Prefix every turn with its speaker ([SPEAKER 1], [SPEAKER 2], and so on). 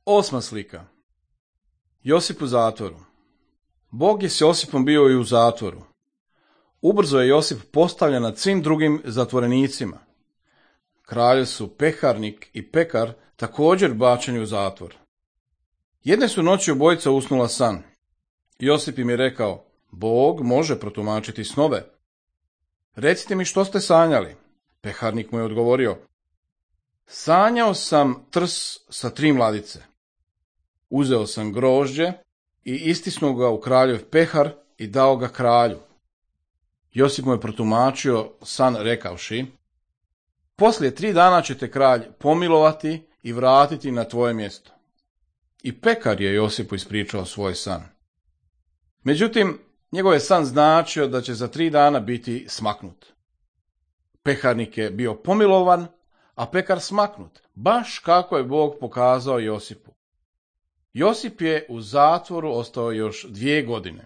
[SPEAKER 1] Osma slika. Josip u zatvoru. Bog je s Josipom bio i u zatvoru. Ubrzo je Josip postavljen nad svim drugim zatvorenicima. Kralji su peharnik i pekar također bačeni u zatvor. Jedne su noći obojica usnula san. Josip im je rekao: Bog može protumačiti snove. Recite mi što ste sanjali. Peharnik mu je odgovorio: Sanjao sam trs sa 3 mladice. Uzeo sam grožđe i istisnuo ga u kraljev pehar i dao ga kralju. Josip mu je protumačio san rekavši: Poslije 3 dana će te kralj pomilovati i vratiti na tvoje mjesto. I pekar je Josipu ispričao svoj san. Međutim, njegov je san značio da će za 3 dana biti smaknut. Peharnik je bio pomilovan, a pekar smaknut, baš kako je Bog pokazao Josipu. Josip je u zatvoru ostao još 2 godine.